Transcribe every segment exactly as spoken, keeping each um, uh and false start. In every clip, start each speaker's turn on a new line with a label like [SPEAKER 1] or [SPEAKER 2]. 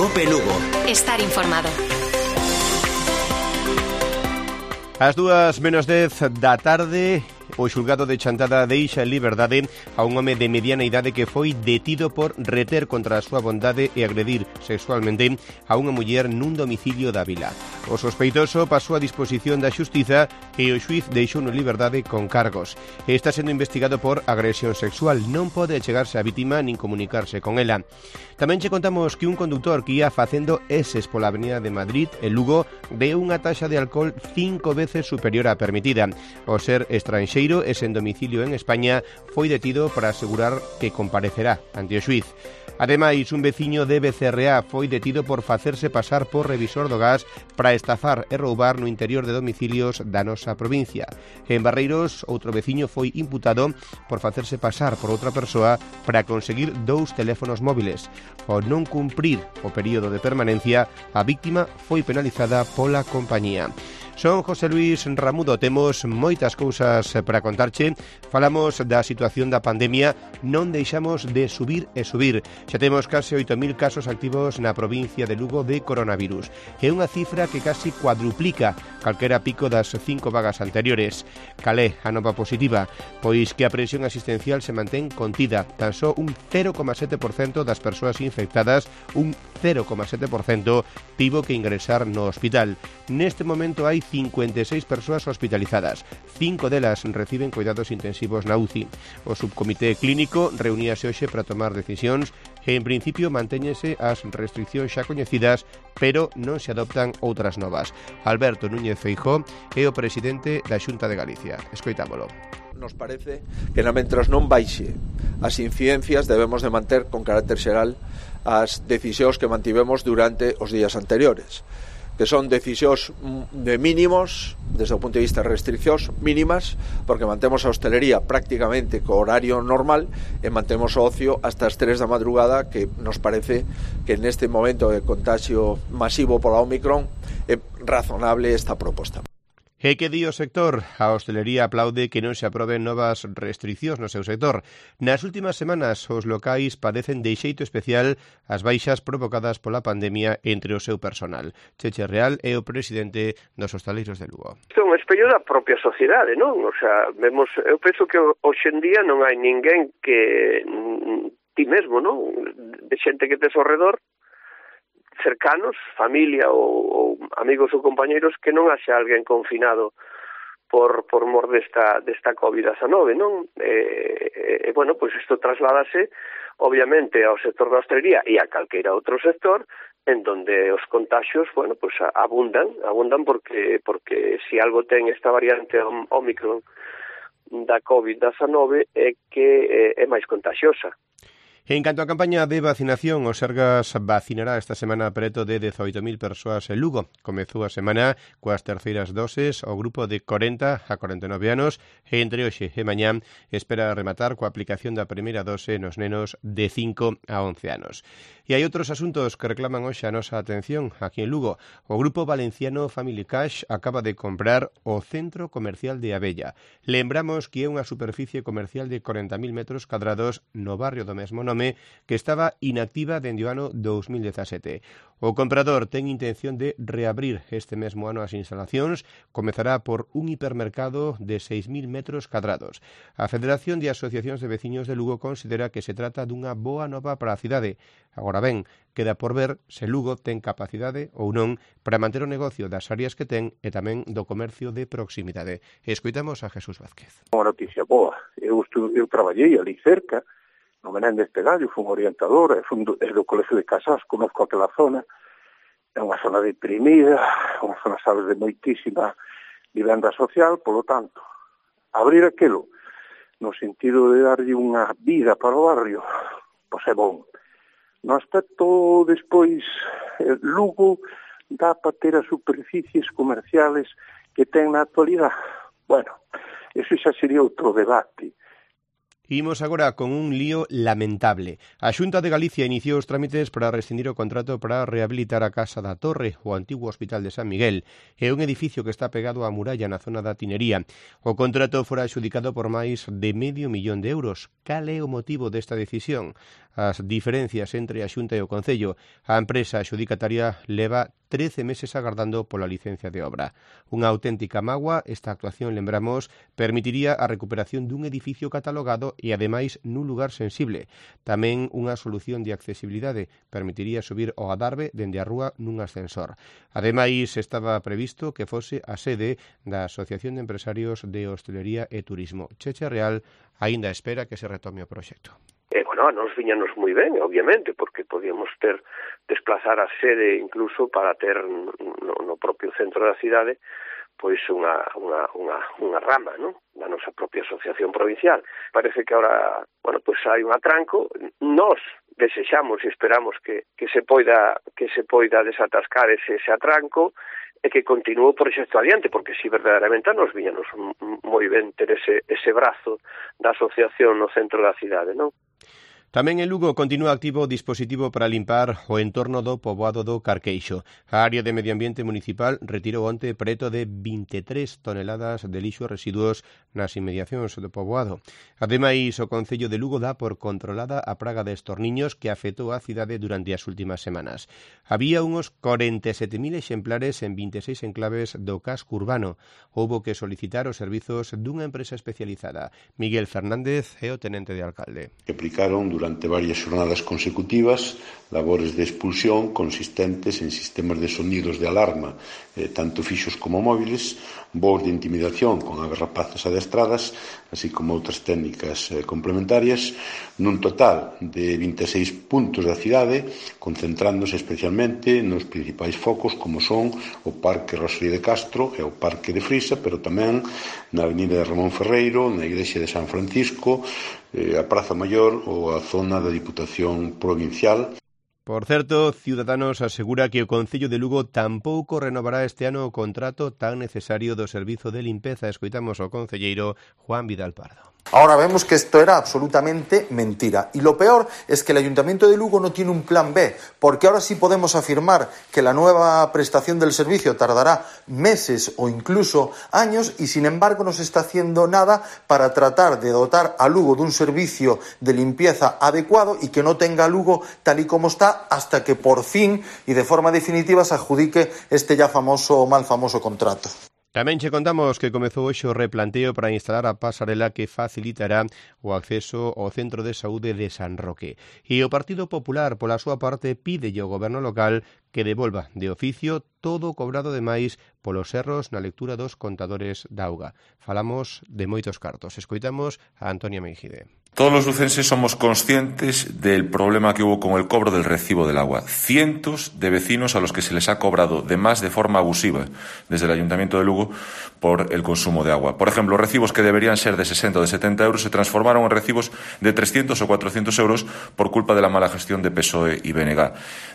[SPEAKER 1] Cope Lugo.
[SPEAKER 2] Estar informado.
[SPEAKER 3] As dúas menos dez da tarde, o xulgado de Chantada deixa en liberdade a un home de mediana idade que foi detido por reter contra a súa bondade e agredir sexualmente a unha muller nun domicilio da vila. O sospeitoso pasou a disposición da xustiza e o xuiz deixou en liberdade con cargos. Está sendo investigado por agresión sexual. Non pode chegarse á vítima nin comunicarse con ela. Tamén che contamos que un conductor que ia facendo eses pola avenida de Madrid, en Lugo, deu unha taxa de alcohol cinco veces superior á permitida. O ser estranxeiro e sen domicilio en España foi detido para asegurar que comparecerá ante o xuiz. Ademais, un veciño de B C R A foi detido por facerse pasar por revisor do gas para estafar e roubar no interior de domicilios da nosa provincia. En Barreiros, outro veciño foi imputado por facerse pasar por outra persoa para conseguir dous teléfonos móviles. Ao non cumprir o período de permanencia, a víctima foi penalizada pola compañía. Son José Luis Ramudo, temos moitas cousas para contarche. Falamos da situación da pandemia, non deixamos de subir e subir. Xa temos case oito mil casos activos na provincia de Lugo de coronavirus. É unha cifra que casi cuadruplica calquera pico das cinco vagas anteriores. Calé a nova positiva? Pois que a presión asistencial se mantén contida. Tan só un cero coma sete por cento das persoas infectadas, un cero coma sete por cento tivo que ingresar no hospital. Neste momento hai cincuenta e seis persoas hospitalizadas. Cinco delas reciben cuidados intensivos na U C I. O subcomité clínico reuníase hoxe para tomar decisións e, en principio, mantéñense as restriccións xa coñecidas, pero non se adoptan outras novas. Alberto Núñez Feijóo é o presidente da Xunta de Galicia. Escoitámolo.
[SPEAKER 4] Nos parece que na mentras non baixe as incidencias debemos de manter con carácter xeral as decisións que mantivemos durante os días anteriores, que son decisións de mínimos, desde o punto de vista de restriccións mínimas, porque mantemos a hostelería prácticamente co horario normal e mantemos o ocio hasta as tres da madrugada, que nos parece que neste momento de contagio masivo pola Omicron é razonable esta proposta.
[SPEAKER 3] E que di o sector? A hostelería aplaude que non se aproben novas restriccións no seu sector. Nas últimas semanas, os locais padecen de xeito especial as baixas provocadas pola pandemia entre o seu personal. Cheche Real é o presidente dos hostaleiros de Lugo.
[SPEAKER 5] Isto é un espello da propia sociedade, non? O sea, vemos, eu penso que hoxe en día non hai ninguén que ti mesmo, non? De xente que tes ao redor, cercanos, familia ou, ou amigos ou compañeiros, que non haxe alguén confinado por por mor desta desta covid diecinueve, non? E, e bueno, pois isto trasládase obviamente ao sector da hostelería e a calquera outro sector en donde os contaxios, bueno, pois abundan, abundan porque porque si algo ten esta variante Omicron da covid diecinueve é que é, é máis contagiosa.
[SPEAKER 3] En canto á campaña de vacinación, o Sergas vacinará esta semana preto de dezoito mil persoas en Lugo. Comezou a semana coas terceiras doses o grupo de corenta a corenta e nove anos e entre hoxe e mañán espera rematar coa aplicación da primeira dose nos nenos de cinco a once anos. E hai outros asuntos que reclaman hoxe a nosa atención aquí en Lugo. O grupo valenciano Family Cash acaba de comprar o Centro Comercial de Abella. Lembramos que é unha superficie comercial de corenta mil metros cadrados no barrio do mesmo nome que estaba inactiva dende o ano dous mil dezasete. O comprador ten intención de reabrir este mesmo ano as instalacións, comezará por un hipermercado de seis mil metros cadrados. A Federación de Asociacións de Veciños de Lugo considera que se trata dunha boa nova para a cidade. Agora ben, queda por ver se Lugo ten capacidade ou non para manter o negocio das áreas que ten e tamén do comercio de proximidade. Escoitamos a Jesús Vázquez.
[SPEAKER 6] Unha noticia boa. Eu, estu, eu traballei ali cerca, no Menéndez Pelayo, fui un orientador, fui do, do Colegio de Casas, conozco aquela zona, é unha zona deprimida, unha zona, sabes, de moitísima vivenda social, polo tanto, abrir aquilo no sentido de darlle unha vida para o barrio, pois é bon. No aspecto, despois, Lugo dá para ter as superficies comerciales que ten na actualidade. Bueno, eso xa sería outro debate.
[SPEAKER 3] Imos agora con un lío lamentable. A Xunta de Galicia iniciou os trámites para rescindir o contrato para rehabilitar a Casa da Torre, o antigo Hospital de San Miguel. É un edificio que está pegado á muralla na zona da Tinería. O contrato fora adxudicado por máis de medio millón de euros. Cal é o motivo desta decisión? as diferencias entre a Xunta e o Concello. A empresa adxudicataria leva trece meses agardando pola licencia de obra. Unha auténtica mágoa, esta actuación, lembramos, permitiría a recuperación dun edificio catalogado e, ademais, nun lugar sensible. Tamén unha solución de accesibilidade permitiría subir ao Adarve dende a rúa nun ascensor. Ademais, estaba previsto que fose a sede da Asociación de Empresarios de Hostelería e Turismo. Cheche Real aínda espera que se retome o proxecto.
[SPEAKER 5] E, bueno, a nos viñanos moi ben, obviamente, porque podíamos ter desplazar a sede incluso para ter no, no propio centro da cidade pois unha, unha, unha, unha rama, non? Da nosa propia asociación provincial. Parece que ahora, bueno, pois hai un atranco. Nós desexamos e esperamos que, que se poida que se poida desatascar ese, ese atranco e que continúe o proxecto adiante, porque si verdadeiramente nos viñanos moi ben ter ese, ese brazo da asociación no centro da cidade, non?
[SPEAKER 3] Tamén en Lugo continúa activo o dispositivo para limpar o entorno do poboado do Carqueixo. A área de Medio Ambiente Municipal retirou onte preto de vinte e tres toneladas de lixo e residuos nas inmediacións do poboado. Ademais, o Concello de Lugo dá por controlada a praga de estorniños que afectou a cidade durante as últimas semanas. Había uns corenta e sete mil exemplares en vinte e seis enclaves do casco urbano. Houbo que solicitar os servizos dunha empresa especializada. Miguel Fernández é o tenente de alcalde.
[SPEAKER 1] Aplicaron durante varias xornadas consecutivas labores de expulsión consistentes en sistemas de sonidos de alarma, eh, tanto fixos como móviles, voos de intimidación con aves rapaces adestradas, así como outras técnicas eh, complementarias, nun total de vinte e seis puntos da cidade, concentrándose especialmente nos principais focos como son o Parque Rosalía de Castro e o Parque de Frisa, pero tamén na Avenida de Ramón Ferreiro, na Igrexa de San Francisco, a Praza Maior ou a zona da Diputación Provincial.
[SPEAKER 3] Por certo, Ciudadanos asegura que o Concello de Lugo tampouco renovará este ano o contrato tan necesario do servizo de limpeza. Escoitamos ao concelleiro Juan Vidal Pardo.
[SPEAKER 2] Ahora vemos que esto era absolutamente mentira. Y lo peor es que el Ayuntamiento de Lugo no tiene un plan B, porque ahora sí podemos afirmar que la nueva prestación del servicio tardará meses o incluso años y sin embargo no se está haciendo nada para tratar de dotar a Lugo de un servicio de limpieza adecuado y que no tenga a Lugo tal y como está hasta que por fin y de forma definitiva se adjudique este ya famoso o mal famoso contrato.
[SPEAKER 3] Tamén che contamos que comezou hoxe o replanteo para instalar a pasarela que facilitará o acceso ao Centro de Saúde de San Roque. E o Partido Popular, pola súa parte, pídelle ao goberno local que devolva de oficio todo o cobrado de máis polos erros na lectura dos contadores da auga. Falamos de moitos cartos. Escoitamos a Antonia Meijide.
[SPEAKER 7] Todos los lucenses somos conscientes del problema que hubo con el cobro del recibo del agua. Cientos de vecinos a los que se les ha cobrado de más de forma abusiva desde el Ayuntamiento de Lugo por el consumo de agua. Por ejemplo, recibos que deberían ser de sesenta o de setenta euros se transformaron en recibos de trescientos o cuatrocientos euros por culpa de la mala gestión de P S O E y B N G.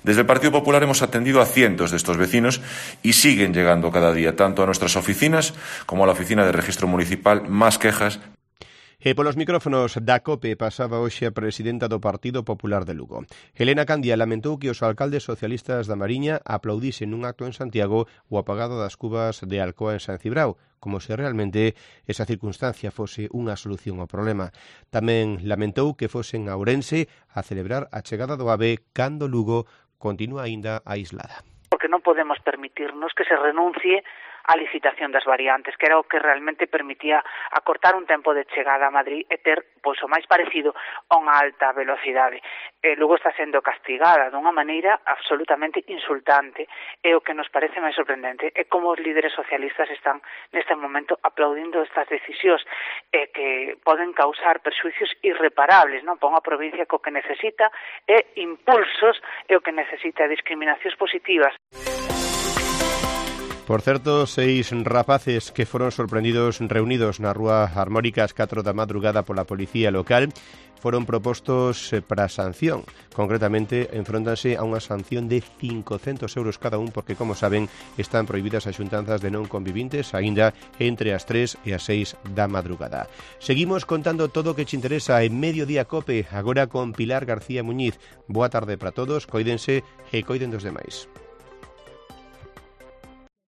[SPEAKER 7] Desde el Partido Popular hemos atendido a cientos de estos vecinos y siguen llegando cada día tanto a nuestras oficinas como a la oficina de registro municipal más quejas.
[SPEAKER 3] E polos micrófonos da COPE pasaba hoxe a presidenta do Partido Popular de Lugo. Helena Candia lamentou que os alcaldes socialistas da Mariña aplaudisen nun acto en Santiago o apagado das cubas de Alcoa en San Cibrao, como se realmente esa circunstancia fose unha solución ao problema. Tamén lamentou que fosen a Ourense a celebrar a chegada do AVE cando Lugo continúa aínda aislada.
[SPEAKER 8] Porque non podemos permitirnos que se renuncie a licitación das variantes, que era o que realmente permitía acortar un tempo de chegada a Madrid e ter pois, o máis parecido a unha alta velocidade. E logo está sendo castigada dunha maneira absolutamente insultante e o que nos parece máis sorprendente é como os líderes socialistas están neste momento aplaudindo estas decisións e que poden causar perxuicios irreparables, non? Para unha provincia que o que necesita é impulsos e o que necesita discriminacións positivas.
[SPEAKER 3] Por certo, seis rapaces que foron sorprendidos reunidos na rúa Armórica ás catro da madrugada pola policía local foron propostos para sanción. Concretamente, enfróntanse a unha sanción de cincocentos euros cada un porque, como saben, están prohibidas as xuntanzas de non convivintes aínda entre as tres e as seis da madrugada. Seguimos contando todo o que te interesa en Mediodía Cope, agora con Pilar García Muñiz. Boa tarde para todos, coídense e coiden dos demais.